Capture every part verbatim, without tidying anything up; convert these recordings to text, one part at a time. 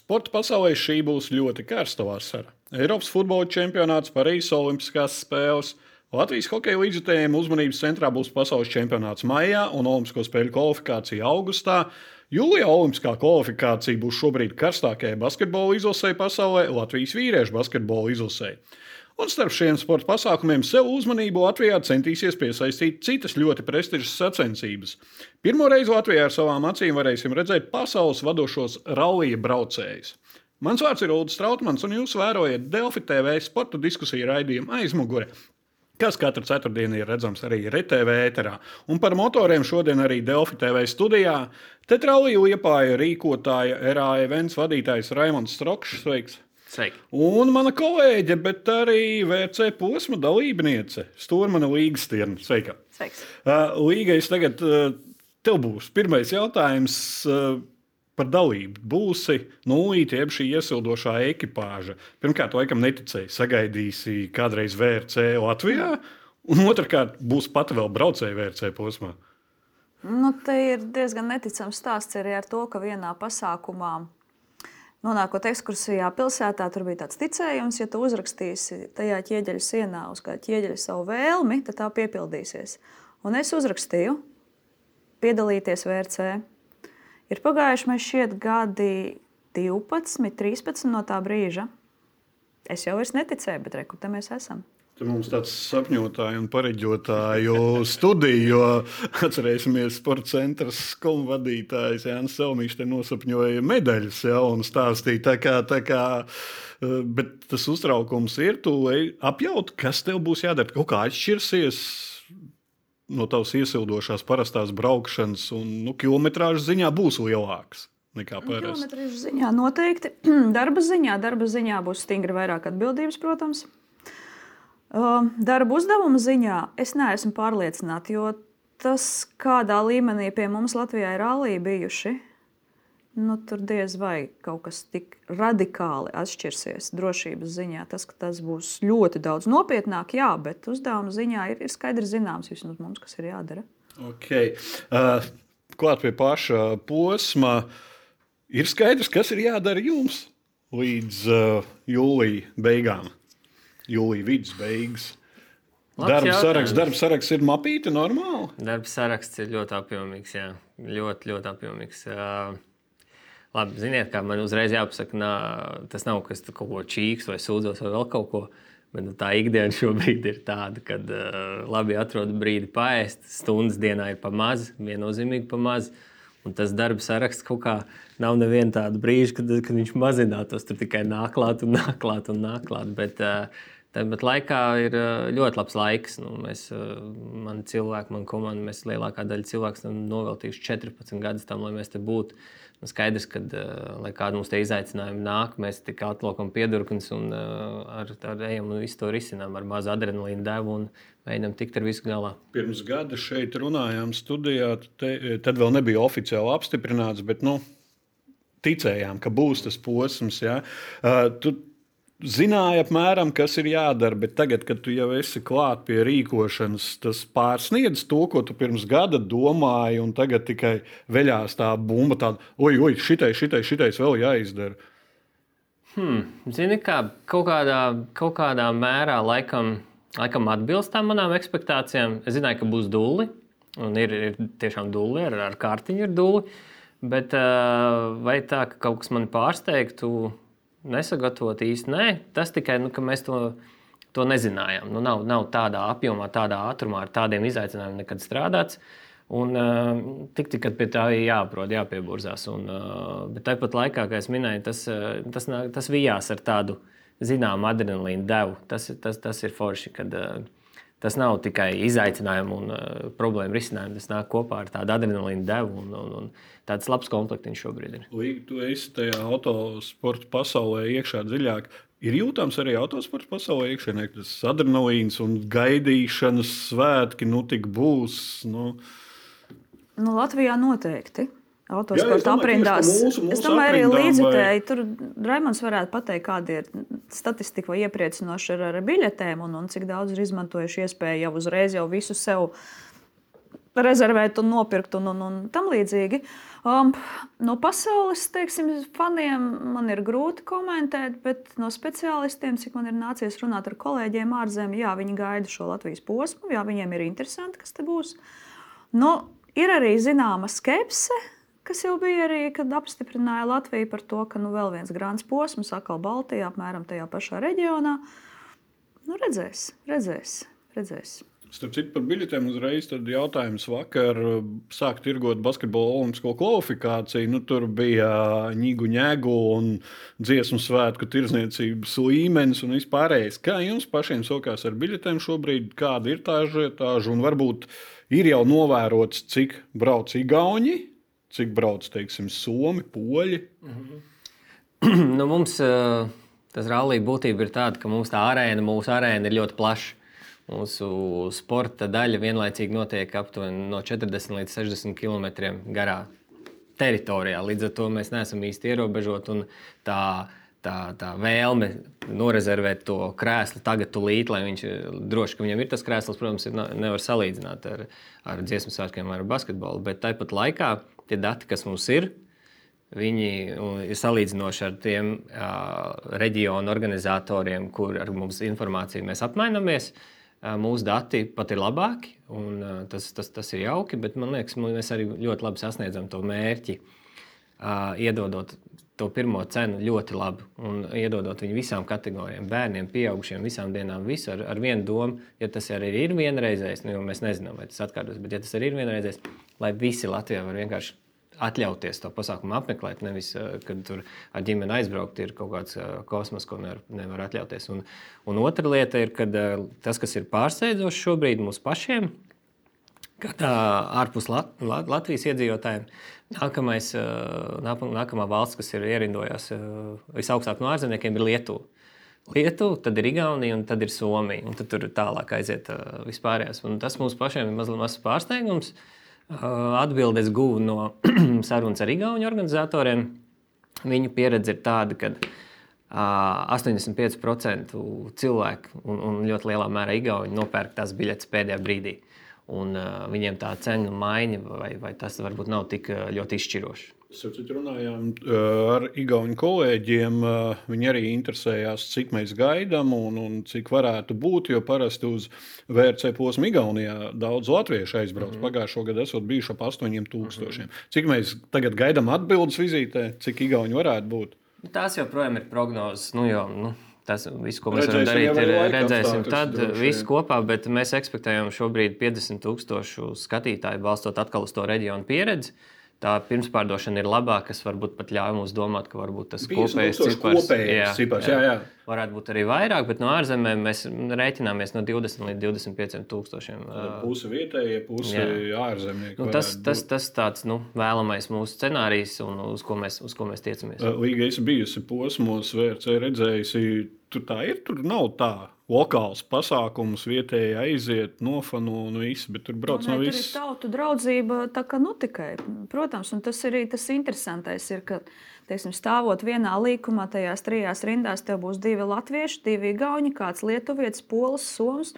Sporta pasaulē šī būs ļoti karsta vasara. Eiropas futbola čempionāts, Parīzes Olimpiskās spēles, Latvijas hokeja līdzjutējiem uzmanības centrā būs pasaules čempionāts maijā un Olimpisko spēļu kvalifikācija augustā. Jūlijā Olimpiskā kvalifikācija būs šobrīd karstākajai basketbola izlasei pasaulē, Latvijas vīriešu basketbola izlasei. Un starp šiem sporta pasākumiem sev uzmanību Latvijā centīsies piesaistīt citas ļoti prestižas sacensības. Pirmo reizi Latvijā ar savām acīm varēsim redzēt pasaules vadošos rallija braucējus. Mans vārds ir Uldis Strautmans, un jūs vērojat Delfi T V sporta diskusiju raidījumu Aizmugure, kas katru ceturtdienu ir redzams arī R T V ēterā. Un par motoriem šodien arī Delfi T V studijā Tetrallija Liepāja rīkotāja R A Events vadītājs Raimonds Strokšs. Sveiks! Sveiki. Un mana kolēģe, bet arī V C posma dalībniece, Stūrmane Līgastirna. Sveika! Sveiks! Uh, Līga, es tagad uh, tev būs pirmais jautājums uh, par dalību. Būsi nulīti, jeb šī iesildošā ekipāža. Pirmkārt, laikam neticēji, sagaidīsi kādreiz V R C Latvijā, un otrkārt būs pat vēl braucēji V R C posmā. Nu, te ir diezgan neticams stāsts arī ar to, ka vienā pasākumā nonākot ekskursijā pilsētā, tur bija tāds ticējums, ja tu uzrakstīsi tajā ķieģeļa sienā uz kā ķieģeļa savu vēlmi, tad tā piepildīsies. Un es uzrakstīju piedalīties V R C. Ir pagājuši mēs šķiet gadi divpadsmit, trīspadsmit no tā brīža. Es jau vairs neticēju, bet re, kur te mēs esam. Te mums tāds sapņotāju un pareģotāju studiju, jo atcerēsimies sporta centras skomu vadītājs Jānis Selmiņš te nosapņoja medaļas, ja, un stāstīja tā kā, tā kā, bet tas uztraukums ir, tu apjaut, kas tev būs jādara, kaut kā atšķirsies no tavas iesildošās parastās braukšanas un, nu, kilometrāžas ziņā būs lielāks nekā parasti. Kilometrāžas ziņā noteikti, darba ziņā, darba ziņā būs stingri vairāk atbildības, protams. Darba uzdevuma ziņā es neesmu pārliecināta, jo tas, kādā līmenī pie mums Latvijā ir rallija bijuši, nu, tur diez vai kaut kas tik radikāli atšķirsies drošības ziņā. Tas, ka tas būs ļoti daudz nopietnāk, jā, bet uzdevuma ziņā ir, ir skaidri zināms vismaz mums, kas ir jādara. Okay. Uh, klāt pie paša posma, ir skaidrs, kas ir jādara jums līdz uh, jūlija beigām. Jūlija vidus beigas. Darba saraksts, darba saraksts ir mapīti normāli? Darba saraksts ir ļoti apjomīgs, jā. Ļoti, ļoti apjomīgs. Uh, labi, ziniet, kā man uzreiz jāpasaka, nā, tas nav kas kaut ko čīks vai sūdzos vai vēl kaut ko, bet tā ikdiena šobrīd ir tāda, kad uh, labi atrod brīdi paēst, stundas dienā ir pa maz, viennozīmīgi pa maz, un tas darba saraksts kaut kā nav neviena tāda brīža, kad, kad viņš mazinātos, tur tikai nāklāt un nāklāt un nāklāt, bet uh, tāpat laikā ir ļoti labs laiks. Nu, mēs, mani cilvēki, man komanda, mēs lielākā daļa cilvēku esam noveltījuši četrpadsmit gadus tam, lai mēs te būtu. Nu, skaidrs, ka, lai kādi mums te izaicinājumi nāk, mēs tik atliekam piedurknes un ar, ar ejam un visu to risinām ar mazu adrenalīnu devu un mēģinām tikt ar visu galā. Pirms gada šeit runājām studijā, te, tad vēl nebija oficiāli apstiprināts, bet nu, ticējām, ka būs tas posms. Ja? Uh, tu, Zināja apmēram, kas ir jādara, bet tagad, kad tu jau esi klāt pie rīkošanas, tas pārsniedz to, ko tu pirms gada domāji, un tagad tikai veļās tā bumba tāda, oj, oj, šitai, šitai, šitais vēl jāizdara. Hmm, zini, kā kaut kādā, kaut kādā mērā laikam, laikam atbilst tām manām ekspektācijām. Es zināju, ka būs dulli, un ir, ir tiešām dulli, ar, ar kārtiņu ir dulli, bet vai tā, ka kaut kas mani pārsteigtu, nesagatavot īsti, nē. Tas tikai, nu, ka mēs to, to nezinājām. Nu, nav, nav tādā apjomā, tādā ātrumā, ar tādiem izaicinājumiem nekad strādāts. Un uh, tik, tik, kad pie tā ir jāprot, jāpieburzās. Un, uh, bet tāpat laikā, kā es minēju, tas, uh, tas, tas vijās ar tādu zināmu adrenalīnu devu. Tas, tas, tas ir forši, kad uh, tas nav tikai izaicinājumu un uh, problēmu risinājumu. Tas nāk kopā ar tādu adrenalīnu devu un, un, un tāds labs komplektiņš šobrīd ir. Līga, tu esi tajā autosporta pasaulē iekšā dziļāk. Ir jūtams arī autosporta pasaulē iekšienē, tas adrenalīns un gaidīšanas svētki, nu tik būs. Nu, nu Latvijā noteikti. Jā, Autosporta aprindās. Mūsu, mūsu es domāju, arī līdzjutēji. Vai... Tur Raimonds varētu pateikt, kāda ir statistika vai iepriecinoša ar, ar biļetēm un, un cik daudz ir izmantojuši iespēju jau uzreiz jau visu sev rezervēt un nopirkt un, un, un tam līdzīgi. Um, no pasaules, teiksim, faniem man ir grūti komentēt, bet no speciālistiem, cik man ir nācies runāt ar kolēģiem ārzemē, jā, viņi gaida šo Latvijas posmu, jā, viņiem ir interesanti, kas te būs. Nu, ir arī zināma skepse, kas jau bija arī, kad apstiprināja Latviju par to, ka nu, vēl viens grāns posms atkal Baltijā, apmēram tajā pašā reģionā. Nu, redzēs, redzēs, redzēs. Starp citu, par biļetēm uzreiz tad jautājums vakar sāk tirgot basketbola olimpisko kvalifikāciju. Nu, tur bija ņigu ņēgu un dziesmu svētku tirdzniecības līmenis un vispārējais. Kā jums pašiem sokās ar biļetēm šobrīd? Kāda ir tā ažiotāža? Un varbūt ir jau novērots, cik brauc igauņi, cik brauc, teiksim, somi, poļi? Mm-hmm. nu, mums tas rallija būtība ir tāda, ka mums tā arēna, mūsu arēna ir ļoti plaša. Mūsu sporta daļa vienlaicīgi notiek aptuveni no četrdesmit līdz sešdesmit kilometriem garā teritorijā. Līdz ar to mēs neesam īsti ierobežoti. Un tā, tā, tā vēlme norezervēt to krēslu tagad, tūlīt, lai viņš droši, ka viņam ir tas krēsls, protams, ir, nevar salīdzināt ar, ar dziesmu svētkiem vai ar basketbolu. Bet tāpat laikā tie dati, kas mums ir, viņi ir salīdzinoši ar tiem uh, reģionu organizatoriem, kur ar mums informāciju mēs apmainamies. Mūsu dati pat ir labāki, un tas, tas, tas ir jauki, bet man liekas, mēs arī ļoti labi sasniedzam to mērķi, iedodot to pirmo cenu ļoti labi un iedodot viņu visām kategorijām, bērniem, pieaugušiem, visām dienām, visu ar, ar vienu domu, ja tas arī ir vienreizējs, nu, jo mēs nezinām, vai tas atkārtos, bet ja tas arī ir vienreizējs, lai visi Latvijā var vienkārši atļauties to pasākumu apmeklēt, nevis, kad tur ar ģimeni aizbraukt, ir kaut kāds kosmos, ko nevar, nevar atļauties. Un, un otra lieta ir, kad tas, kas ir pārsteidzoši šobrīd mums pašiem, kad ārpus Lat- Lat- Latvijas iedzīvotājiem, nākamais, nākamā valsts, kas ir ierindojās visaugstāk no ārzemniekiem, ir Lietuva. Lietuva, tad ir Igaunija un tad ir Somija, un tad tur tālāk aiziet vispārējās. Un tas mums pašiem ir mazliet mazs pārsteigums. Atbildes guvu no sarunas ar igauņu organizatoriem. Viņu pieredze ir tāda, ka astoņdesmit pieci procenti cilvēku un, un ļoti lielā mērā igauņi nopērk tās biļetes pēdējā brīdī. Un uh, viņiem tā cenu maiņa vai, vai tas varbūt nav tik ļoti izšķiroši. Mēs runājām ar igauņu kolēģiem. Viņi arī interesējās, cik mēs gaidām un, un cik varētu būt. Jo parasti uz V R C posmu Igaunijā daudz latviešu aizbrauc. Mm-hmm. Pagājušo gadu esot bijuši ap astoņiem tūkstošiem. Mm-hmm. Cik mēs tagad gaidām atbildes vizītē, cik igauņi varētu būt? Tās joprojām ir prognozes. Nu, jo, nu, tas viss, ko mēs varam darīt, ir redzēsim tad visu kopā. Bet mēs ekspektējam šobrīd piecdesmit tūkstošu skatītāju, balstot atkal uz to reģionu pieredzi. Tā pirmspārdošana ir labāka, kas varbūt pat ļauj mums domāt, ka varbūt tas kopējais cipars, jā, cipars jā, jā. varētu būt arī vairāk, bet no ārzemēm mēs rēķināmies no divdesmit līdz divdesmit pieciem tūkstošiem. Puse vietējie, puse ārzemnieki. Nu, tas, tas, tas tāds nu, vēlamais mūsu scenārijs, un uz ko mēs, uz ko mēs tiecamies. Līga esi bijusi posmos, V R C redzējusi, tur tā ir, tur nav tā. Lokāls pasākums, vietēji aiziet, nofano un viss, bet tur brauc no, no viss. Tur ir tautu draudzība, tā kā nu tikai. Protams, un tas arī tas interesantais ir, ka, teiksim, stāvot vienā līkumā, tajās trijās rindās, tev būs divi latvieši, divi igauņi, kāds lietuvietis, polis, soms.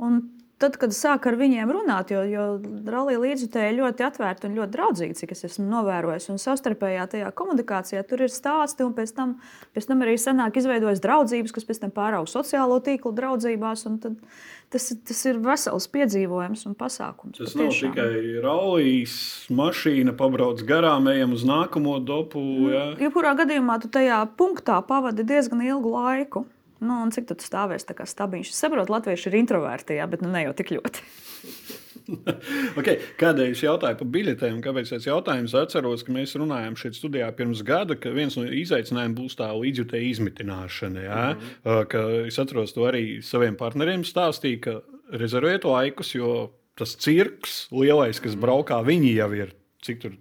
Un tad, kad sāk ar viņiem runāt, jo, jo rallija līdzjutēji ļoti atvērti un ļoti draudzīgi, cik es esmu novērojis, un savstarpējā tajā komunikācijā tur ir stāsti, un pēc tam, pēc tam arī sanāk izveidojas draudzības, kas pēc tam pāraug sociālo tīklu draudzībās, un tad tas, tas ir vesels piedzīvojums un pasākums. Tas nav tikai rallijas, mašīna pabrauc garām, ejam uz nākamo dopu. Jā. Jebkurā gadījumā tu tajā punktā pavadi diezgan ilgu laiku. Nu, un cik tu stāvēsi tā kā stabiņš? Es saprotu, latvieši ir introverti, jā, bet nu ne jau tik ļoti. okay. Kādēļ es jautāju par biļetēm? Kāpēc es jautājums atceros, ka mēs runājām šeit studijā pirms gada, ka viens no izaicinājumiem būs tā līdzjutēja izmitināšana. Jā? Mm-hmm. Ka es atceros to arī saviem partneriem stāstīju, ka rezervējiet laikus, jo tas cirks lielais, kas braukā, viņi jau ir, cik tur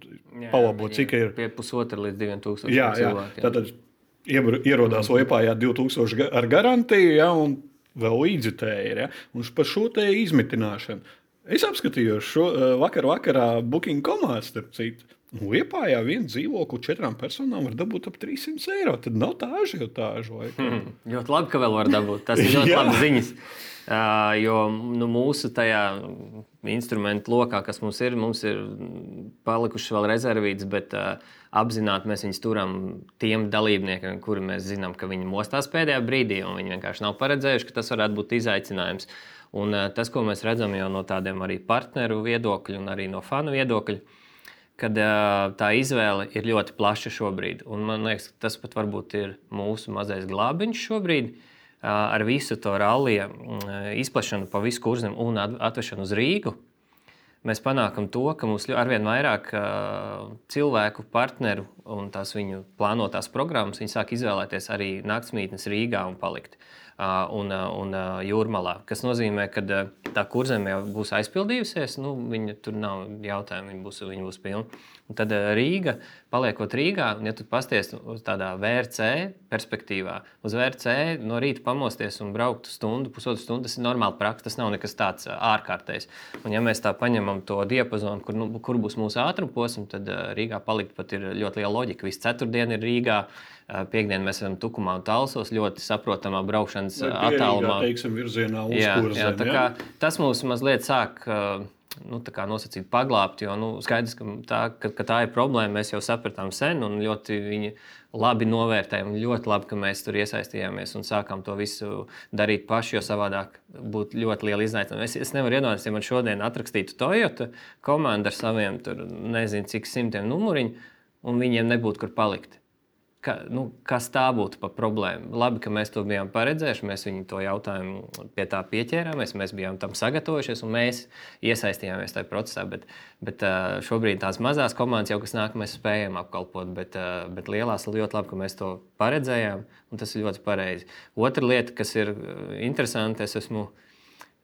palabot, cik ir. Pie pusotra līdz diviem tūkstošiem jā, jā. cilvēkiem. Tātad ierodās Liepājā divi tūkstoši ar garantiju, ja, un vēl līdzjutēji. Ja, un par šo te izmitināšanu. Es apskatījos šo vakar vakarā Booking punkt com, starp citu. Liepājā vienu dzīvokli četrām personām var dabūt ap trīs simtus eiro. Tad nav tā ažiotāža. Hmm, ļoti labi, ka vēl var dabūt. Tas ir ļoti labi ziņas. Uh, jo nu, mūsu tajā instrumentu lokā, kas mums ir, mums ir palikušas vēl rezervītas, bet uh, apzināti mēs viņus turam tiem dalībniekiem, kuri mēs zinām, ka viņi mostās pēdējā brīdī, un viņi vienkārši nav paredzējuši, ka tas varētu būt izaicinājums. Un uh, tas, ko mēs redzam jau no tādiem arī partneru viedokļu un arī no fanu viedokļu, kad uh, tā izvēle ir ļoti plaša šobrīd. Un man liekas, tas pat varbūt ir mūsu mazais glābiņš šobrīd, ar visu to rallija izplešanu pa visu Kurzem un atvešanu uz Rīgu, mēs panākam to, ka mums arvien vairāk cilvēku, partneru un tās viņu plānotās programmas, viņi sāk izvēlēties arī naktsmītnes Rīgā un palikt un, un Jūrmalā. Kas nozīmē, ka tā Kurzem jau būs aizpildījusies, nu, viņa tur nav jautājumu, viņa būs, viņa būs pilna. Un tad Rīga, paliekot Rīgā, un ja tu pasties uz tādā V R C perspektīvā, uz V R C no rīta pamosties un braukt stundu, pusotru stundu, tas ir normāli praksa, tas nav nekas tāds ārkārtējs. Un ja mēs tā paņemam to diapazonu, kur, nu, kur būs mūsu ātrumposms, tad Rīgā palikt pat ir ļoti liela loģika. Visu ceturtdienu ir Rīgā, piekdien mēs esam Tukumā un Talsos, ļoti saprotamā braukšanas attālumā. Teiksim, virzienā uz jā, Kurzem, jā, tā kā tas mūs mazliet sāk nu, tā kā nosacīt paglābt, jo nu, skaidrs, ka tā, ka, ka tā ir problēma, mēs jau sapratām sen un ļoti viņi labi novērtējam un ļoti labi, ka mēs tur iesaistījāmies un sākām to visu darīt paši, jo savādāk būtu ļoti liela izaicinājuma. Es, es nevaru iedomāties, ja man šodien atrakstītu Toyota komandu ar saviem tur nezinu cik simtiem numuriņu un viņiem nebūtu kur palikt. Ka, nu, kas tā būtu par problēmu? Labi, ka mēs to bijām paredzējuši, mēs viņu to jautājumu pie tā pieķērāmies, mēs bijām tam sagatavojušies un mēs iesaistījāmies tajā procesā. Bet, bet šobrīd tās mazās komandas jau, kas nāk, mēs spējam apkalpot, bet, bet lielās ir ļoti labi, ka mēs to paredzējām un tas ir ļoti pareizi. Otra lieta, kas ir interesanti, es esmu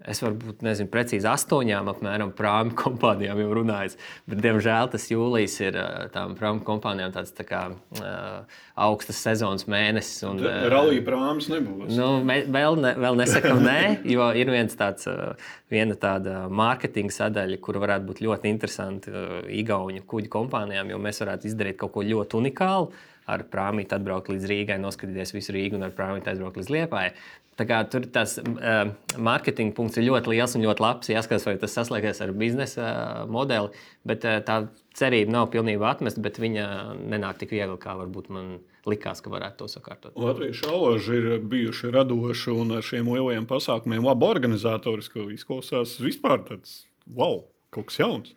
Es varbūt nezinu, precīzi astoņām apmēram prāmu kompānijām jau runājis, bet, diemžēl, tas jūlijs ir tām prāmu kompānijām tāds tā kā uh, augstas sezonas mēnesis. Un, uh, Rallija prāmas nebūs. Nu, me, vēl, ne, vēl nesakam nē, jo ir viens tāds, uh, viena tāda mārketinga sadaļa, kura varētu būt ļoti interesanti uh, igauņu kuģu kompānijām, jo mēs varētu izdarīt kaut ko ļoti unikālu, ar prāmīti atbraukt līdz Rīgai, noskatīties visu Rīgu un ar prāmīti atbraukt līdz Liepājai. Tā kā tur tas uh, mārketinga punkts ir ļoti liels un ļoti labs. Jāskatās, vai tas saslēgsies ar biznesa uh, modeli, bet uh, tā cerība nav pilnībā atmesta, bet viņa nenāk tik viegli, kā varbūt man likās, ka varētu to sakārtot. Latviešu alaži ir bijuši radoši un ar šiem lielajiem pasākumiem labi organizatoriski izklausās vispār tāds wow, kaut kas jauns.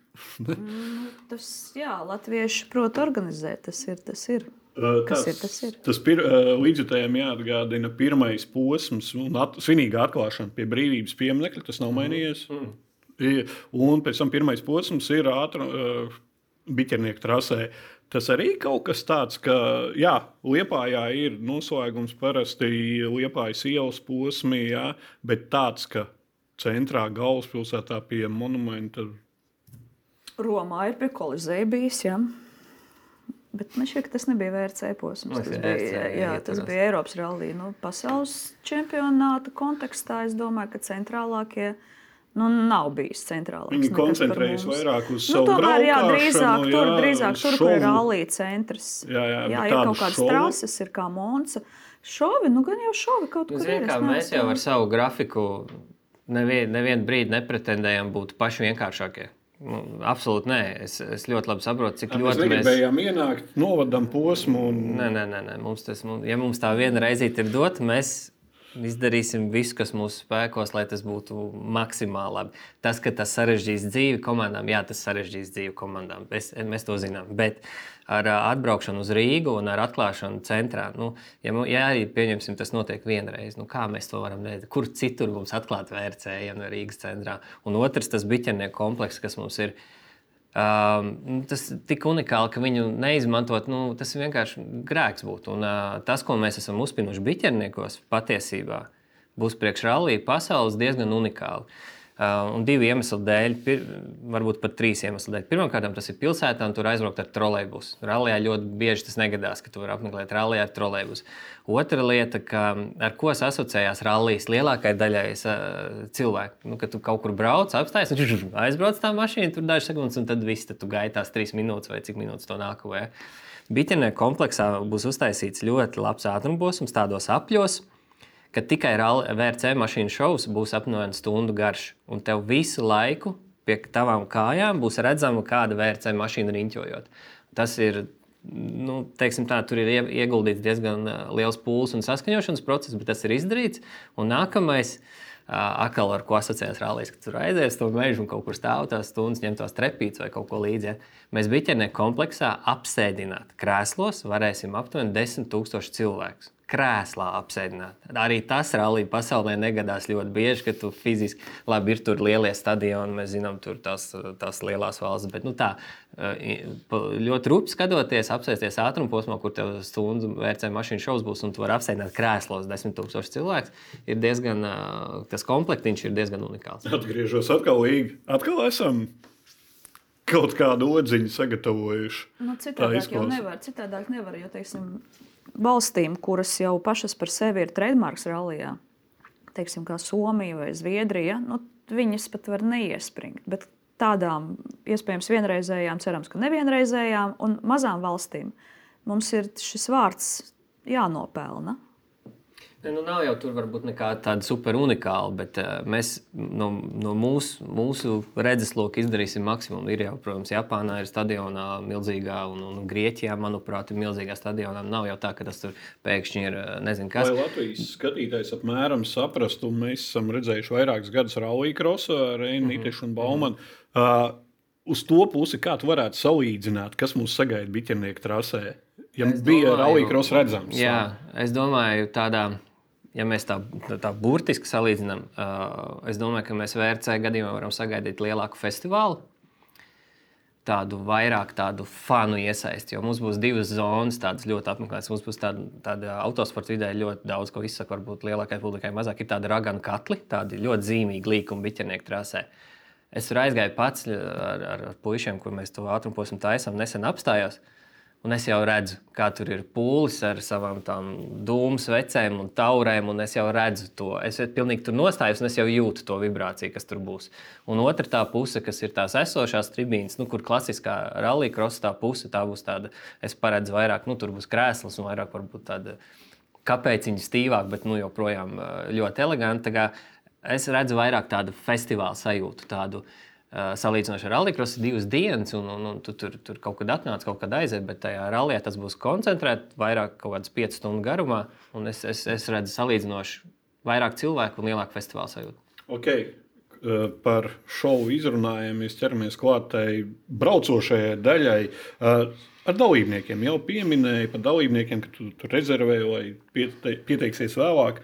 tas, jā, latvieši prot organizēt, tas ir, tas ir. Tas, Kas ir, tas ir? Tas pir, līdzjutējiem jāatgādina pirmais posms un at, svinīga atklāšana pie brīvības pieminekļa, tas nav mainījies. Mm. Un pēc tam pirmais posms ir ātra uh, biķernieku trasē. Tas arī kaut kas tāds, ka jā, Liepājā ir noslēgums parasti Liepājas ielas posmī, jā, bet tāds, ka centrā galvaspilsētā pie monumenta. Romā ir pie Kolizeja bijis, jā. Bet man šķiet, ka tas nebija V R C posms. Tas, bija, jā, jā, tas bija Eiropas rallija. Nu, pasaules čempionāta kontekstā es domāju, ka centrālākie nu, nav bijis centrālāks. Viņi koncentrējas vairāk uz nu, savu tomēr, jā, braukšanu. drīzāk, Jā, tur, drīzāk tur, kur ir rallija centrs. Jā, jā, jā ir kaut kādas šovi. Trases, ir kā Monca. Šovi, nu gan jau šovi kaut kur ir. Kā mēs jau ar savu grafiku nevien, nevien brīdi nepretendējam būt paši vienkāršākie. Nu, absolūti nē. Es, es ļoti labi saprotu, cik Jā, ļoti mēs negribējām mēs... ienākt, novadam posmu. Un... Nē, nē, nē, nē. Mums tas, ja mums tā viena reizīt ir dot, mēs izdarīsim visu, kas mūsu spēkos, lai tas būtu maksimāli labi. Tas, ka tas sarežģīs dzīvi komandām, jā, tas sarežģīs dzīvi komandām. Es, mēs to zinām. Bet ar atbraukšanu uz Rīgu un ar atklāšanu centrā, nu, ja, ja arī pieņemsim, tas notiek vienreiz, nu, kā mēs to varam darīt? Kur citur mums atklāt V R C, ja no Rīgas centrā? Un otrs, tas biķernieku komplekss, kas mums ir, um, tas tik unikāli, ka viņu neizmantot, nu, tas vienkārši grēks būtu. Un uh, tas, ko mēs esam uzspinuši biķerniekos, patiesībā būs priekš rallija pasaules diezgan unikāli. Uh, un divu iemeslu dēļ, pir, varbūt pat trīs iemeslu dēļ. Pirmkārt, tas ir pilsētā, un tur aizbraukt ar trolejbusu. Rallijā ļoti bieži tas negadās, ka tu vari apmeklēt rallijā ar trolejbusu. Otra lieta, ka, ar ko asociējās rallijas lielākajai daļai uh, cilvēku. Nu, kad tu kaut kur brauc, apstājies, un aizbrauc tā mašīna, tur dažas sekundes, un tad viss, tad tu gaitās trīs minūtes vai cik minūtes to nākamajā. Biķernieku kompleksā būs uztaisīts ļoti labs ātrumposms tādos apļos, ka tikai V R C mašīnu šovs būs apmēram stundu garš, un tev visu laiku pie tavām kājām būs redzama kāda V R C mašīna riņķojot. Tas ir, nu, teiksim tā, tur ir ieguldīts diezgan liels pūles un saskaņošanas process, bet tas ir izdarīts. Un nākamais, atkal ar ko asociējas rallijas, ka tur aizies to mežu un kaut kur stāv tās stundas, ņem tās trepītes vai kaut ko līdzi. Ja? Mēs biķernieku kompleksā apsēdināt krēslos varēsim aptuveni desmit tūkstoši cilvēkus. Krēslā apsēdināt. Arī tas rallija pasaulē negadās ļoti bieži, ka tu fiziski, labi, ir tur lielie stadioni, mēs zinām, tur tās, tās lielās valstis, bet nu tā, ļoti rupi skatoties, apsēsties ātrumposmā, kur tev stundu V R C mašīnu šovs būs, un tu vari apsēdināt krēslos desmit tūkstoši cilvēks, ir diezgan, tas komplektiņš ir diezgan unikāls. Atgriežos atkal līgi. Atkal esam kaut kādu odziņu sagatavojuši. Nu, citādāk jau nevar, citādāk nevar, jo, teiksim, valstīm, kuras jau pašas par sevi ir trademarks rallijā, teiksim, kā Somija vai Zviedrija, nu, viņas pat var neiespringt. Bet tādām, iespējams, vienreizējām, cerams, ka nevienreizējām un mazām valstīm mums ir šis vārds jānopelna. Ne, nu nav jau tur varbūt nekā tāda super unikāla, bet uh, mēs no, no mūsu, mūsu redzesloka izdarīsim maksimumu. Ir jau, protams, Japānā ir stadionā milzīgā, un, un Grieķijā, manuprāt, ir milzīgā stadionā. Nav jau tā, ka tas tur pēkšņi ir, nezinu, kas. Lai Latvijas skatītājs apmēram saprastu, mēs esam redzējuši vairākus gadus rallija krosu ar Reinu Nitešu un Baumanu. Uh, uz to pusi, kā tu varētu salīdzināt, kas mūs sagaida biķernieku trasē? Ja es bija rallija krosu redzams. Jā, es domāju tādā... Ja mēs tā, tā burtiski salīdzinām, uh, es domāju, ka mēs V R C gadījumā varam sagaidīt lielāku festivālu, tādu vairāk tādu fanu iesaisti, jo mums būs divas zonas, tādas ļoti apmeklētas. Mums būs tāda, tāda autosporta vidē ļoti daudz, ko izsaka, varbūt lielākai publikai mazāk. Ir tāda raganu katli, tādi ļoti zīmīgi līkumi biķernieku trasē. Es tur aizgāju pats ar, ar puišiem, kur mēs to ātrumposmu taisām, nesen apstājos. Un es jau redzu, kā tur ir pūlis ar savām tām dūmu svecēm un taurēm, un es jau redzu to. Es pilnīgi tur nostājos, un es jau jūtu to vibrāciju, kas tur būs. Un otra tā puse, kas ir tās esošās tribīnes, nu, kur klasiskā rallija krosa tā puse, tā būs tāda, es paredzu vairāk, nu, tur būs krēslas un vairāk varbūt tāda kapēciņa stīvāk, bet nu, joprojām ļoti eleganti. Tā kā es redzu vairāk tādu festivālu sajūtu, tādu salīdzinoši ar rallija krosu divas dienas, un, un, un tu tur, tur kaut kad atnāc, kaut kad aiziet, bet tajā rallijā tas būs koncentrēt vairāk kaut kādas piecas stundu garumā, un es, es, es redzu salīdzinoši vairāk cilvēku un lielāku festivālu sajūtu. Okay. Par šovu izrunājumies, ķeramies klāt tai braucošajai daļai. Ar dalībniekiem jau pieminēja par dalībniekiem, ka tu, tu rezervē vai piete, pieteiksies vēlāk.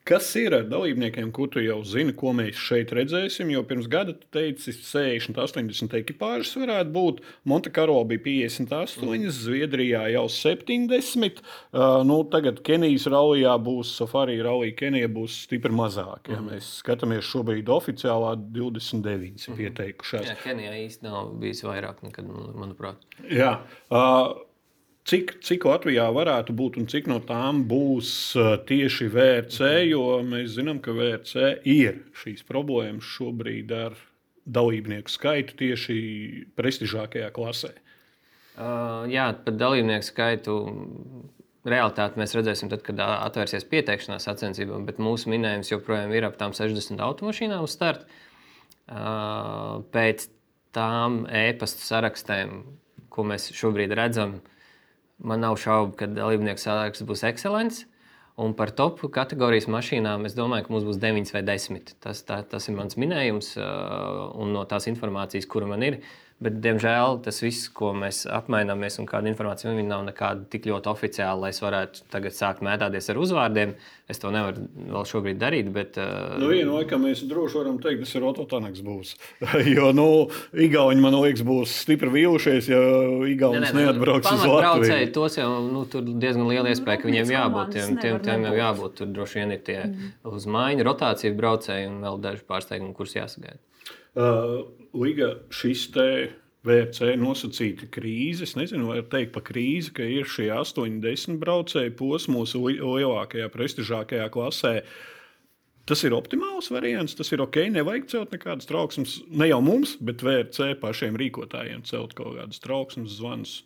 Kas ir ar dalībniekiem, ko tu jau zini, ko mēs šeit redzēsim? Jo pirms gada tu teici, sešdesmit, astoņdesmit ekipāžas varētu būt. Monte Carlo bija piecdesmit astoņi, Zviedrijā jau septiņdesmit. Uh, nu, tagad Kenijas rallijā būs, Safari rallija Kenija būs stipri mazāk. Ja? Mm. Mēs skatāmies šobrīd oficiālā divdesmit deviņi mm. pieteikušās. Jā, Kenijā īsti nav bijis vairāk nekad, manuprāt. Jā. Uh, Cik, cik Latvijā varētu būt un cik no tām būs tieši V R C, jo mēs zinām, ka V R C ir šīs problēmas šobrīd ar dalībnieku skaitu tieši prestižākajā klasē? Uh, jā, par dalībnieku skaitu realitāti mēs redzēsim tad, kad atvērsies pieteikšanās sacensībām, bet mūsu minējums joprojām ir ap tām sešdesmit automašīnām uz startu. Uh, pēc tām e-pastu sarakstēm, ko mēs šobrīd redzam, man nav šaubu, ka dalībnieku saraksts būs ekscelents. Un par top kategorijas mašīnām es domāju, ka mums būs deviņas vai desmit. Tas, tā, tas ir mans minējums, un no tās informācijas, kura man ir, Bet, diemžēl, tas viss, ko mēs apmaināmies un kāda informācija, viņi nav nekāda tik ļoti oficiāla, lai es varētu tagad sākt mētāties ar uzvārdiem. Es to nevaru vēl šobrīd darīt, bet... Uh... Nu, vienu laikam mēs droši varam teikt, tas ir Otto Tanaks būs. Jo, nu, Igauņi, man liekas, būs stipri vīlušies, ja Igaunis neatbrauks uz Latviju. Tos jau nu, tur diezgan liela iespēja, ka viņiem jābūt. Tiem, tiem, tiem jau jābūt. Tur droši vien ir tie mm. uz maiņu rotāciju braucēji un vēl daži pārsteigumi, kurus jāsagaida. Uh, Liga, šis te V R C nosacīta krīze, es nezinu, vai teikt pa krīzi, ka ir šie astoņi desmit braucēji posmos lielākajā, prestižākajā klasē. Tas ir optimāls variants, tas ir ok, nevajag celt nekādas trauksmes, ne jau mums, bet V R C pašiem rīkotājiem celt kaut kādas trauksmes zvanus.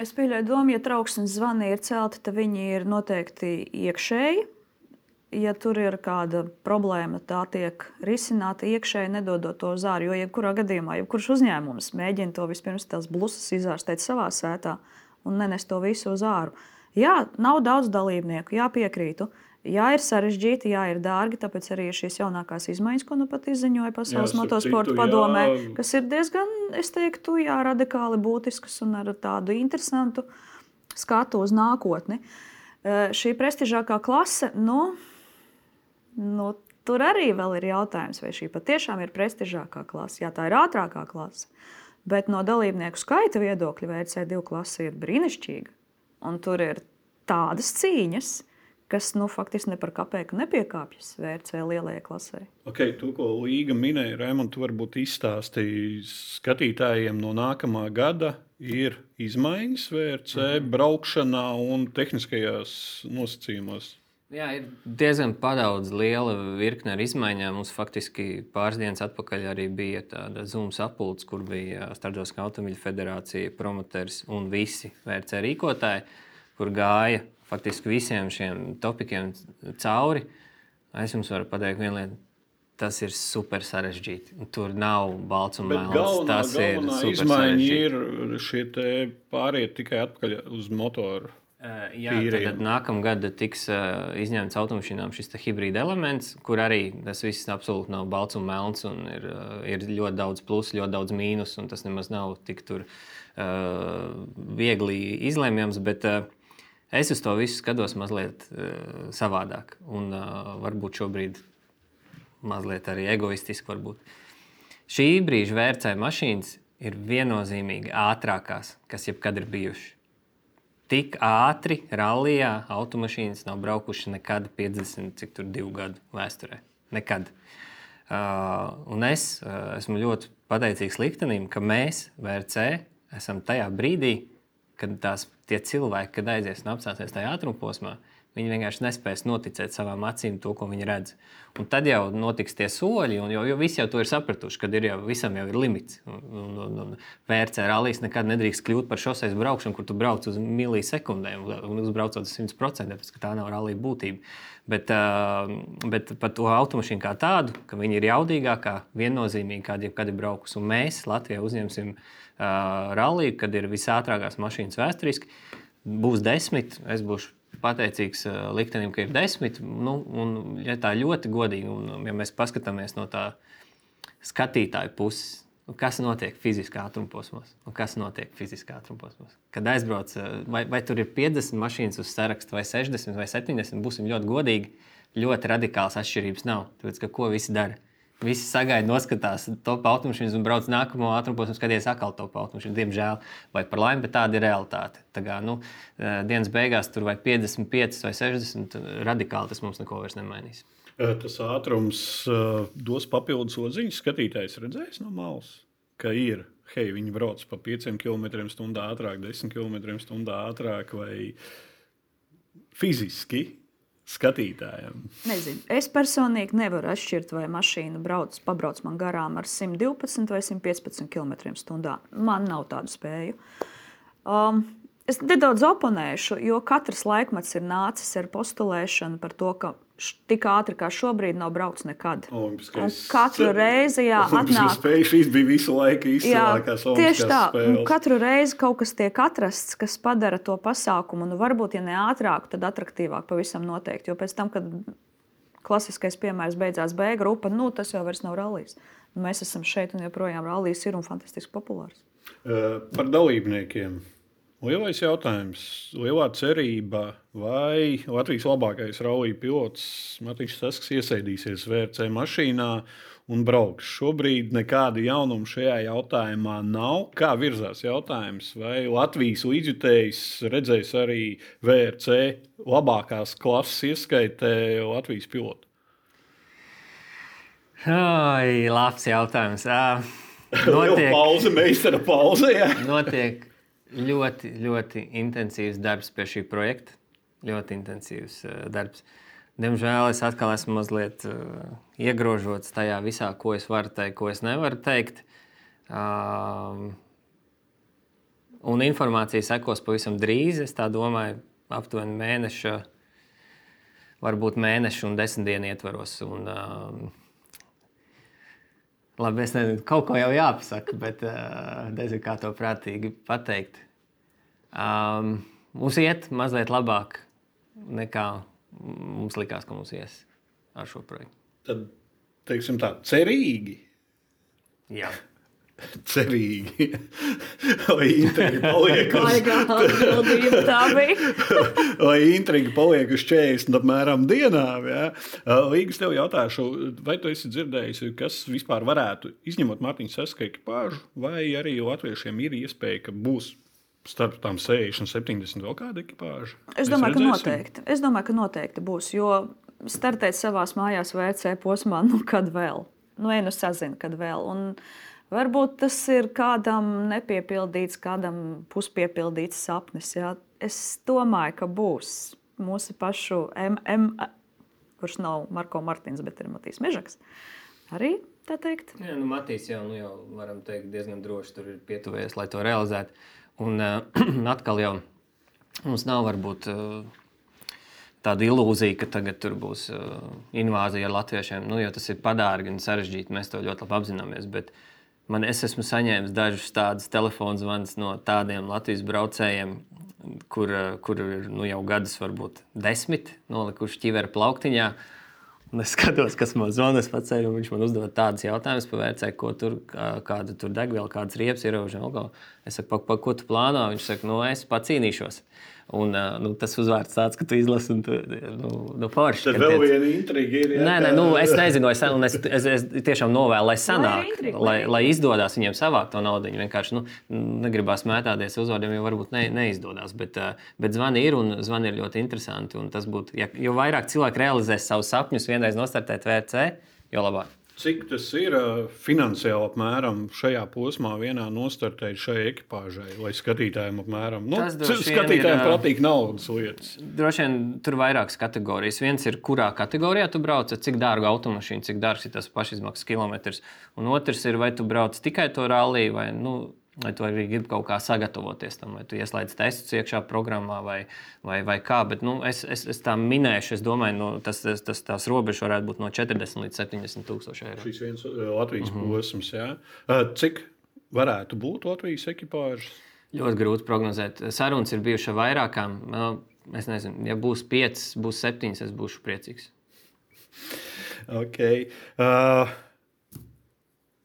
Es pieļauju domu, ja trauksmes zvani ir celti, tad viņi ir noteikti iekšēji. Ja tur ir kāda problēma, tā tiek risināta iekšēji, nedodot to uz ārā. Jo, jebkurā gadījumā, jebkurš uzņēmums mēģina to vispirms tās blusas izārstēt savā sētā un nenest to visu uz āru. Jā, nav daudz dalībnieku, jā, piekrītu. Jā, ir sarežģīti, jā, ir dārgi, tāpēc arī ir šīs jaunākās izmaiņas, ko nu pat izziņoja Pasaules motosporta padomē, kas ir diezgan, es teiktu, jā, radikāli būtiskas un ar tādu interesantu skatu uz nākotni. Šī prestižākā klase, nu, Nu, tur arī vēl ir jautājums, vai šī patiešām ir prestižākā klase. Jā, tā ir ātrākā klase, bet no dalībnieku skaita viedokļa V R C divi klase ir brīnišķīga. Un tur ir tādas cīņas, kas nu, faktiski ne par kapeiku nepiekāpjas V R C lielajai klasē. Okay, to, ko Līga minēja, Raimond, tu varbūt izstāstīji skatītājiem no nākamā gada ir izmaiņas V R C mm-hmm. braukšanā un tehniskajās nosacījumos. Jā, ir diezgan padaudz liela virkne ar izmaiņām. Mums faktiski pāris dienas atpakaļ arī bija tāda Zoom sapulce, kur bija Starptautiskā automobiļu federācija, promoters un visi V R C rīkotāji, kur gāja faktiski visiem šiem topikiem cauri. Es jums varu pateikt vienu lietu. Tas ir super sarežģīti. Tur nav balts un melns. Galvenā, tas galvenā ir izmaiņa ir šie te pāriet tikai atpakaļ uz motoru. Uh, jā, tad, tad nākamgad tiks uh, izņemts automašīnām šis hibrīda elements, kur arī tas viss absolūti nav balts un melns, un ir, uh, ir ļoti daudz plusu, ļoti daudz mīnus, un tas nemaz nav tik tur uh, viegli izlēmjams, bet uh, es uz to visu skatos mazliet uh, savādāk, un uh, varbūt šobrīd mazliet arī egoistiski varbūt. Šī brīža V R C mašīnas ir viennozīmīgi ātrākās, kas jebkad ir bijuši. Tik ātri rallijā automašīnas nav braukuši nekad piecdesmit, cik tur divu gadu vēsturē. Nekad. Uh, un es uh, esmu ļoti pateicīgs liktenim, ka mēs, V R C, esam tajā brīdī, kad tās, tie cilvēki, kad aizies un apstāsies tajā ātrumposmā, viņi vienkārši nespēs noticēt savām acīm to, ko viņi redz. Un tad jau notiks tie soļi, un jo, jo visi jau to ir sapratuši, kad ir jau, visam jau ir limits. Un, un, un, un V R C rallijas nekad nedrīkst kļūt par šoseis braukšanu, kur tu brauc uz milisekundēm un uzbraucot uz simt procenti, tāpēc, ka tā nav rallija būtība. Bet, uh, bet par to automašīnu kā tādu, ka viņi ir jaudīgākā, viennozīmīgi, kāda jebkad ir braukus. Un mēs Latvijā uzņemsim uh, ralliju, kad ir visātrākās mašīnas vēsturiski. Būs desmit, es būšu pateicīgs uh, liktenim, ka ir desmit. Nu, un, ja tā ļoti godīgi, un ja mēs paskatāmies no tā skatītāju puses, kas notiek fiziskā ātrumposmos un kas notiek fiziskā ātrumposmos. Kad aizbrauc, vai, vai tur ir piecdesmit mašīnas uz sarakstu, vai sešdesmit, vai septiņdesmit, būsim ļoti godīgi, ļoti radikāls atšķirības nav. Tāpēc, ka ko visi dara? Visi sagaida, noskatās top automašīnas un brauc nākamo ātrumposmu, skaties atkal top automašīnu. Diemžēl, vai par laimi, bet tāda ir realitāte. Tā kā, nu, dienas beigās tur vai piecdesmit pieci vai sešdesmit, radikāli tas mums neko vairs nemainīs. Tas ātrums uh, dos papildus odziņas. Skatītājs redzēs no malas, ka ir, hei, viņi brauc pa pieciem kilometriem stundā ātrāk, desmit kilometriem stundā ātrāk vai fiziski. Skatītājiem. Nezinu. Es personīgi nevaru atšķirt, vai mašīna brauc, pabrauc man garām ar simt divpadsmit vai simt piecpadsmit kilometriem stundā. Man nav tādu spēju. Um, es nedaudz oponēšu, jo katrs laikmets ir nācis ar postulēšanu par to, ka tik ātri kā šobrīd nav braukts nekad. Olimpiskais. Un katru reizi, jā, atnāk. Spēja šīs bija visu laiku izcilākās tieši tā. spēles. Un katru reizi kaut kas tiek atrasts, kas padara to pasākumu, nu varbūt, ja ne ātrāk, tad atraktīvāk pavisam noteikti. Jo pēc tam, kad klasiskais piemērs beidzās B grupa, nu tas jau vairs nav rallijs. Mēs esam šeit un joprojām rallijs ir un fantastiski populārs. Par dalībniekiem. Lielais jautājums, lielā cerība, vai Latvijas labākais rallija pilots Matiņš Sasks iesaistīsies V R C mašīnā un brauks. Šobrīd nekāda jaunuma šajā jautājumā nav. Kā virzās jautājums, vai Latvijas līdzjutējs redzēs arī V R C labākās klases ieskaitē Latvijas pilotu? Ai, labs jautājums. Uh, notiek, pauze, meistara pauze, jā. notiek ļoti, ļoti intensīvs darbs pie šī projekta. Ļoti intensīvs uh, darbs. Diemžēl es atkal esmu mazliet uh, iegrožots tajā visā, ko es varu teikt, ko es nevaru teikt. Uh, un informācija sekos pavisam drīz. Es tā domāju, aptuveni mēneša, varbūt mēneša un desmit dienu ietvaros. Un, uh, Labi, es nezinu, kaut ko jau jāpasaka, bet uh, nezinu, kā to prātīgi pateikt. Um, mums iet mazliet labāk nekā mums likās, ka mums ies ar šo projektu. Tad, teiksim tā, cerīgi. Jā. Cerīgi. Lai intriga paliek uz, lai intriga paliek uz četrdesmit apmēram dienām. Ja? Līgas, tev jautāšu, vai tu esi dzirdējis, kas vispār varētu, izņemot Mārtiņa Saska ekipāžu, vai arī latviešiem ir iespēja, ka būs starp tām sešdesmit, septiņdesmit vēl kāda ekipāža? Es domāju, ka noteikti. Es domāju, ka noteikti būs, jo startēt savās mājās V R C posmā, nu kad vēl? Nu, vienu sazinu, kad vēl. Un varbūt tas ir kādam nepiepildīts, kādam puspiepildīts sapnis. Jā. Es domāju, ka būs mūsu pašu M M, kurš nav Marko Martins, bet ir Matīs Mežaks. Arī tā teikt. Jā, nu Matīs jau, nu jau varam teikt diezgan droši tur ir pietuvējies, lai to realizētu. Un uh, atkal jau mums nav varbūt uh, tāda ilūzija, ka tagad tur būs uh, invāzija ar latviešiem. Nu, jo tas ir padārgi un sarežģīti, mēs to ļoti labi apzināmies. Bet man, es esmu saņēmis dažus tādus telefonu zvanus no tādiem Latvijas braucējiem, kur, kur ir nu, jau gadus, varbūt desmit, nolikuši ķivera plauktiņā. Un es skatos, kas man zvana, es pacēlu, un viņš man uzdod tādus jautājumus par V R C, ko tur, kādu tur degvielu, kādas riepas ieraužam. Es saku, pa, pa, ko tu plāno? Viņš saka, nu, es pacīnīšos. Un nu, tas uzvārds tāds, ka tu izlasi un tu, nu, nu forši. Tad vēl viena intriga ir. Jā, nē, nē, nu, es nezinu, es, es, es, es tiešām novēlu, lai sanāk, lai, intriga, lai, lai izdodas viņiem savākt to naudu. Viņi vienkārši nu, negribās mētāties uzvārdiem, jo varbūt ne, neizdodas. Bet, bet zvani ir un zvani ir ļoti interesanti. Un tas būtu, ja, jo vairāk cilvēki realizēs savus sapņus vienreiz nostartēt V R C, jo labāk. Cik tas ir finansiāli apmēram šajā posmā vienā nostartēt šai ekipāžai, lai skatītājiem apmēram, nu, skatītājiem patīk naudas lietas? Droši vien tur vairākas kategorijas. Viens ir, kurā kategorijā tu brauc, cik dārgu automašīnu, cik dārgs ir tas pašizmaksas kilometrs. Un otrs ir, vai tu brauc tikai to ralliju, vai, nu, vai tu arī gribi kaut kā sagatavoties tam, vai tu ieslēdz testus iekšā programmā, vai, vai, vai kā. Bet nu, es, es, es tā minēšu, es domāju, no, tas, tas, tas, tās robežas varētu būt no četrdesmit līdz septiņdesmit tūkstoši eiro. Šis viens Latvijas mm-hmm. posms, jā. Cik varētu būt Latvijas ekipāžas? Ļoti grūti prognozēt. Sarunas ir bijušas vairākām. Es nezinu, ja būs piecas, būs septiņas, es būšu priecīgs. Ok. Uh...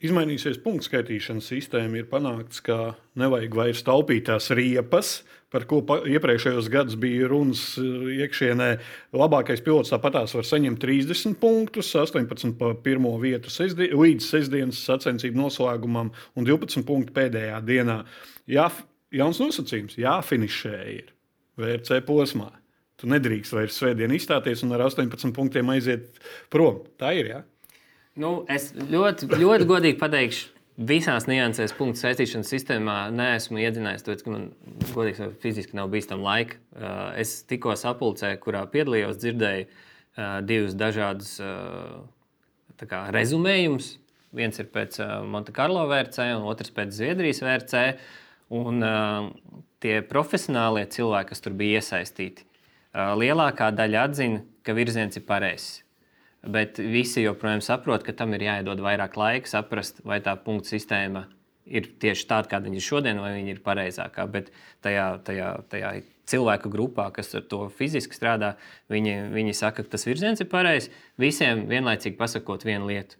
Izmainīsies punktu skaitīšanas sistēma, ir panākts, ka nevajag vairs taupīt tās riepas, par ko iepriekšējos gados bija runas iekšienē. Labākais pilots tāpatās var saņemt trīsdesmit punktus, astoņpadsmit pa pirmo vietu sestdien, līdz sestdienas sacensību noslēgumam un divpadsmit punktu pēdējā dienā. Jā, jauns nosacījums, jāfinišē ir V R C posmā. Tu nedrīkst vairs svētdien izstāties un ar astoņpadsmit punktiem aiziet prom. Tā ir, jā? Nu, es ļoti, ļoti godīgi pateikšu, visās niansēs punktu saistīšanas sistēmā neesmu iedzinājis, tāpēc, ka man godīgi fiziski nav bijis tam laika. Es tikko sapulcē, kurā piedalījos, dzirdēju divus dažādus kā, rezumējumus. Viens ir pēc Monte Carlo V R C un otrs pēc Zviedrijas V R C. Un tie profesionālie cilvēki, kas tur bija iesaistīti, lielākā daļa atzina, ka virziens ir pareizs. Bet visi joprojām saprot, ka tam ir jāiedod vairāk laika saprast, vai tā punktu sistēma ir tieši tāda, kāda viņa ir šodien, vai viņa ir pareizākā. Bet tajā, tajā, tajā cilvēku grupā, kas ar to fiziski strādā, viņi, viņi saka, ka tas virziens ir pareizs. Visiem vienlaicīgi pasakot vienu lietu.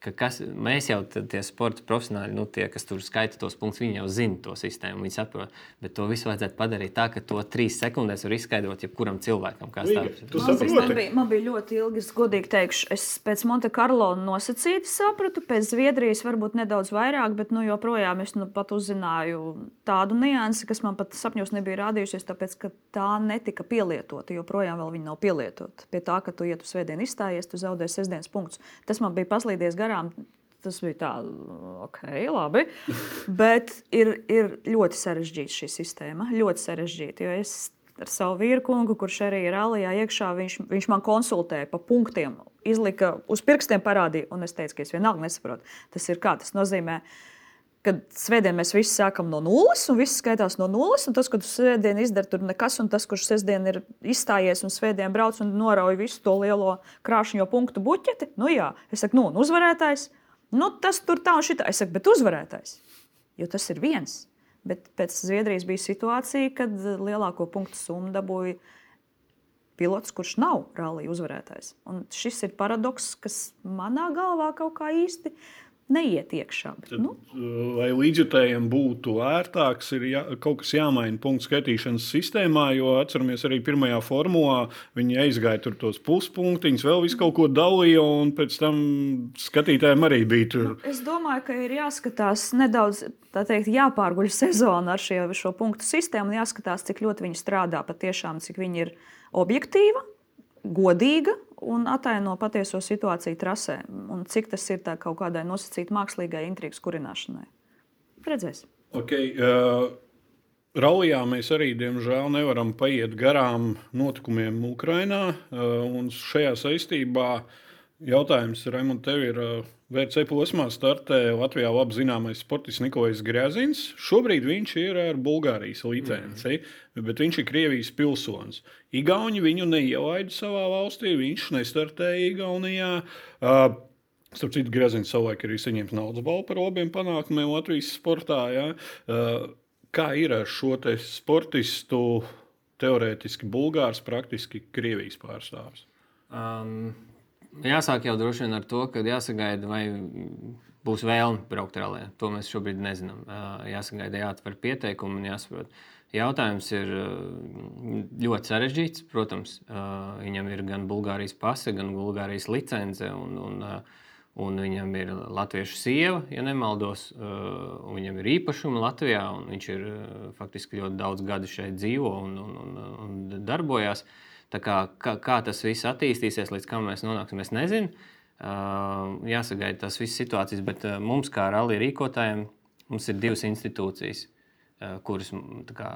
ka kas, mēs jau tie sporta profesionāļi, nu, tie, kas tur skaita tos punktus, viņi jau zina to sistēmu, viņi saprot. Bet to visu vajadzētu padarīt tā, ka to trīs sekundēs var izskaidrot jebkuram cilvēkam. Līga, man, man, bija, man bija ļoti ilgi, es godīgi teikšu, es pēc Monte Carlo nosacīti sapratu, pēc Zviedrijas varbūt nedaudz vairāk, bet nu, joprojām es nu, pat uzzināju tādu niansi, kas man pat sapņos nebija rādījusies, tāpēc, ka tā netika pielietota, joprojām vēl viņa nav pielietota. Pie tā, ka tu, ja tu svētdien izstājies, tu zaudē sestdienas punktus. Tas man bija paslīdies garām. Tas bija tā, ok, labi. Bet ir, ir ļoti sarežģīta šī sistēma. Ļoti sarežģīta. Jo es ar savu vīru kungu, kurš arī ir rallijā iekšā, viņš, viņš man konsultēja pa punktiem, izlika uz pirkstiem parādīja, un es teicu, ka es vienalga nesaprotu. Tas ir kā? Tas nozīmē, ka svētdien mēs visi sākam no nulles, un viss skaitās no nulles, un tas, ka tu svētdien izdari tur nekas, un tas, kurš sestdien ir izstājies un svētdien brauc un norauj visu to lielo krāšņo punktu buķeti, nu jā, es saku, nu, un uzvarētājs, nu, tas tur tā un šitā, es saku, bet uzvarētājs, jo tas ir viens. Bet pēc Zviedrijas bija situācija, kad lielāko punktu summu dabūja pilots, kurš nav rallija uzvarētājs. Un šis ir paradoks, kas manā galvā kaut kā īsti neiet iekšā. Bet, nu. Lai līdzjutējiem būtu ērtāks, ir jā, kaut kas jāmaina punktu skaitīšanas sistēmā, jo atceramies arī pirmajā formulā, viņi aizgāja tur tos puspunktiņus, vēl visu kaut ko dalīja, un pēc tam skatītājiem arī bija tur. Nu, es domāju, ka ir jāskatās nedaudz, tā teikt, jāpārguļ sezona ar šie, šo punktu sistēmu un jāskatās, cik ļoti viņi strādā patiešām, cik viņi ir objektīva, godīga un ataino patieso situāciju trasē. Un cik tas ir tā kaut kādai nosacītai mākslīgai intrigas kurināšanai. Redzēsim. Okay, uh, Rallijā mēs arī, diemžēl, nevaram paiet garām notikumiem Ukrainā. Uh, un šajā saistībā jautājums, Raimond, tev ir uh, V C posmā startē Latvijā labi zināmais sportists Nikolais Grēzins. Šobrīd viņš ir ar Bulgārijas licenci, mm. bet viņš ir Krievijas pilsonis. Igauni viņu neielaida savā valstī, viņš nestartēja Igaunijā. Uh, starp citu, Grēzins savulaik arī saņems naudas balvu par labiem panākumiem Latvijas sportā. Ja? Uh, kā ir ar šo te sportistu, teorētiski Bulgārs, praktiski Krievijas pārstāvis? Um. Jāsāk jau droši vien ar to, ka jāsagaida, vai būs vēlme braukt rallija. To mēs šobrīd nezinām. Jāsagaida, jāatver pieteikumu un jāsaprot. Jautājums ir ļoti sarežģīts. Protams, viņam ir gan Bulgārijas pase, gan Bulgārijas licence, un, un, un viņam ir latviešu sieva, ja nemaldos. Viņam ir īpašumi Latvijā, un viņš ir faktiski ļoti daudz gadu šeit dzīvo un, un, un, un darbojās. Tā kā, kā, kā tas viss attīstīsies, līdz kam mēs nonāksim, es nezinu. Uh, jāsagaida tās visas situācijas, bet uh, mums, kā rallija rīkotājiem, mums ir divas institūcijas, uh, kuras kā,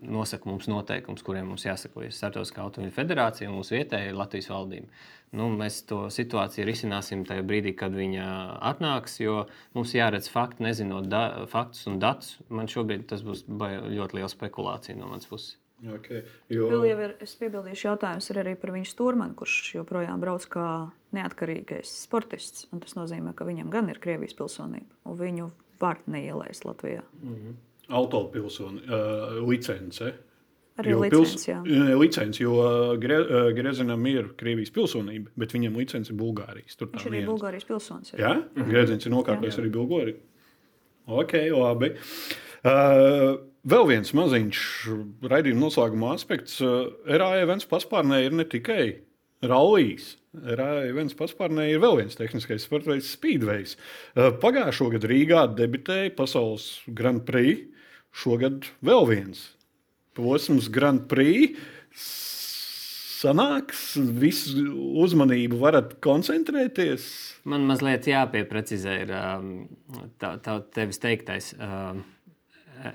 nosaka mums noteikums, kuriem mums jāsakojas. Startautiskā automobīļu federācija un mūsu vietēja Latvijas valdība. Nu, mēs to situāciju risināsim tajā brīdī, kad viņa atnāks, jo mums jāredz fakti, nezinot da, faktus un datus. Man šobrīd tas būs ļoti liela spekulācija no manas puses. Okay, jo... Vēl jau ir, es piebildīšu, jautājums ir arī par viņu stūrmani, kurš joprojām brauc kā neatkarīgais sportists. Un tas nozīmē, ka viņam gan ir Krievijas pilsonība, un viņu var neielaist Latvijā. Mm-hmm. Autopilsoni, uh, licence. Arī jo licence, pils... jā. Licence, jo Gre... Grezinam ir Krievijas pilsonība, bet viņam licence ir Bulgārijas. Tur Viņš arī ir Bulgārijas pilsonis. Jā? Mm-hmm. Grezins ir nokāpējis arī Bulgāriju. Ok, labi. Uh, Vēl viens maziņš raidījuma noslēguma aspekts. R A E viens paspārnē ir ne tikai rallijas. R A E viens paspārnē ir vēl viens tehniskais sporta veids speedways. Pagājušo gadu Rīgā debitēja Pasaules Grand Prix. Šogad vēl viens posms Grand Prix. Sanāks, visu uzmanību varat koncentrēties? Man mazliet jāpieprecizē ir tā, tā tevis teiktais.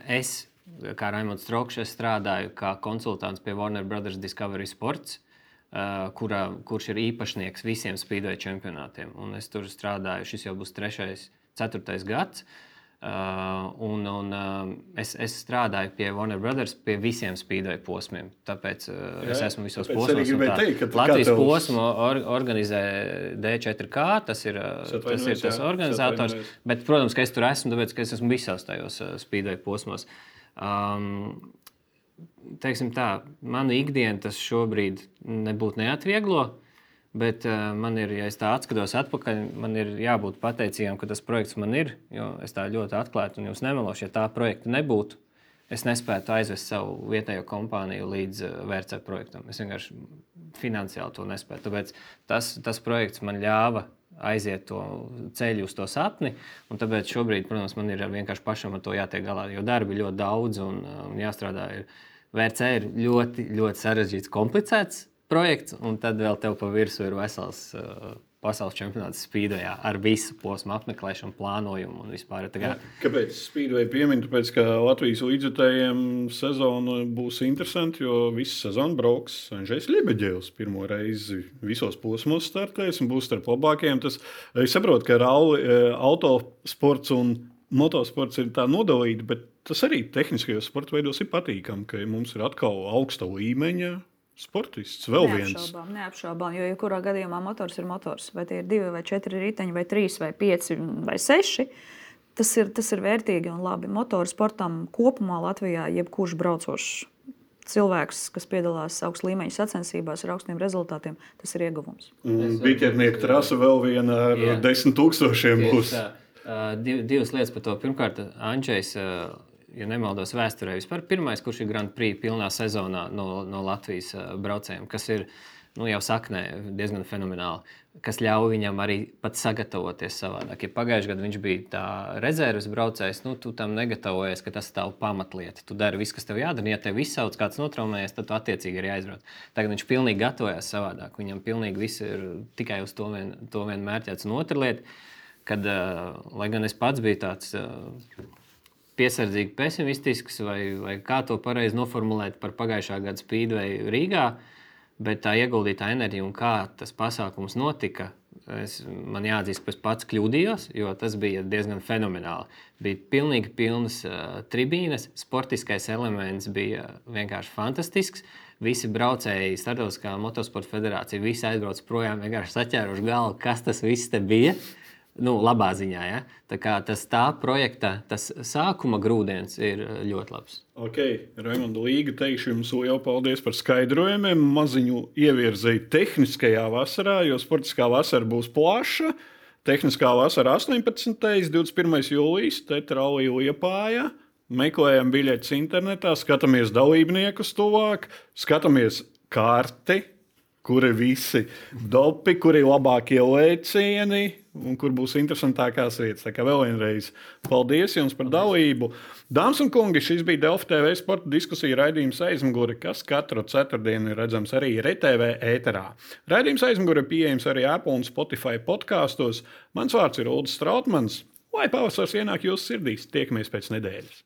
Es kā Raimonds Strokšs, es strādāju kā konsultants pie Warner Brothers Discovery Sports, uh, kurā, kurš ir īpašnieks visiem speedway čempionātiem. Un es tur strādāju, šis jau būs trešais, ceturtais gads. Uh, un, un, uh, es, es strādāju pie Warner Brothers pie visiem speedway posmiem. Tāpēc uh, Jā, es esmu visos posmos. Teikt, Latvijas tavs... posmu or, organizē D četri K, tas ir, tas, ir tas organizators. Bet, protams, ka es tur esmu, tāpēc, ka es esmu visās tajos uh, speedway posmos. Um, teiksim tā, manu ikdienu tas šobrīd nebūtu neatvieglo, Bet uh, man ir, ja es tā atskatos atpakaļ, man ir jābūt pateicīgam, ka tas projekts man ir. Jo es tā ļoti atklāti un jūs nemelošu, ja tā projekta nebūtu, es nespētu aizvest savu vietējo kompāniju līdz uh, V R C projektam. Es vienkārši finansiāli to nespēju. Tāpēc tas, tas projekts man ļāva aiziet to ceļu uz to sapni. Un tāpēc šobrīd, protams, man ir vienkārši pašam ar to jātiek galā, jo darbi ir ļoti daudz un, un jāstrādā. Ir. V R C ir ļoti, ļoti sarežģīts, komplicēts projekts, un tad vēl tev pa virsmu ir vesels uh, pasaules čempionāts Speedwayā ar visu posmu apmeklēšanu, plānojumu un vispār. Tagad... Kāpēc Speedway piemin? Tāpēc, ka Latvijas līdzjutējiem sezona būs interesanti, jo visu sezonu brauks Andrzejs Ļebeģevs pirmo reizi visos posmos startēs un būs starp labākajiem. Tas, es saprotu, ka ralli, autosports un motosports ir tā nodalīti, bet tas arī tehniskajos sporta veidos ir patīkami, ka mums ir atkal augsta līmeņa sportists, vēl viens. Neapšaubām, neapšaubām, jo jebkurā gadījumā motors ir motors. Vai tie ir divi vai četri riteņi, vai trīs vai pieci vai seši, tas ir, tas ir vērtīgi un labi. Motoru sportam kopumā Latvijā jebkurš braucošs cilvēks, kas piedalās augsta līmeņa sacensībās ar augstiem rezultātiem, tas ir ieguvums. Biķernieku trasa vēl viena ar Jā. desmit tūkstošiem būs. Uh, div, divas lietas par to. Pirmkārt, Andrzejs, uh, ja nemaldos vēsturē, vispār pirmais, kurš ir Grand Prix pilnā sezonā no, no Latvijas uh, braucējiem, kas ir nu, jau saknē diezgan fenomenāli, kas ļauj viņam arī pat sagatavoties savādāk. Ja pagājušajā gadā viņš bija tā rezerves braucējs, nu, tu tam negatavojies, ka tas ir tavu pamatlieta. Tu dari visu, kas tev jādara. Ja tev izsauc kāds notraumējies, tad tu attiecīgi arī aizbrauc. Tagad viņš pilnīgi gatavojās savādāk. Viņam pilnīgi viss ir tikai uz to vien, to vien mērķēts. Un otra lieta, kad, uh, lai gan es pats biju tāds uh, piesardzīgi pesimistisks, vai, vai kā to pareizi noformulēt par pagājušā gada Speedway Rīgā, bet tā ieguldītā enerģija un kā tas pasākums notika, es, man jāatzīst, ka es pats kļūdījos, jo tas bija diezgan fenomenāli. Bija pilnīgi pilnas uh, tribīnes, sportiskais elements bija vienkārši fantastisks. Visi braucēji, Startautiskā motosporta federācija, visi aizbrauc projām, vienkārši saķēruši galvu, kas tas viss te bija. Nu, labā ziņā, ja? Tā kā tas tā projekta, tas sākuma grūdienis ir ļoti labs. Ok, Raimonda Līga, teikšu jums lielu paldies par skaidrojumiem. Maziņu ievirzēju tehniskajā vasarā, jo sportiskā vasara būs plaša. Tehniskā vasara astoņpadsmitais divdesmit pirmais jūlijas, Tetralija Liepājā. Meklējam biļetes internetā, skatāmies dalībniekus tuvāk, skatāmies karti, kur ir visi dopi, kur ir labākie lēcieni un kur būs interesantākās vietas. Tā kā vēl vienreiz paldies jums par dalību. Dāmas un kungi, šis bija Delfi T V sporta diskusija raidījums Aizmugure, kas katru ceturtdienu ir redzams arī R T V ēterā. Raidījums Aizmugure pieejams arī Apple un Spotify podkastos. Mans vārds ir Uldis Strautmans. Lai pavasars ienāk jūsu sirdīs, tiekamies pēc nedēļas.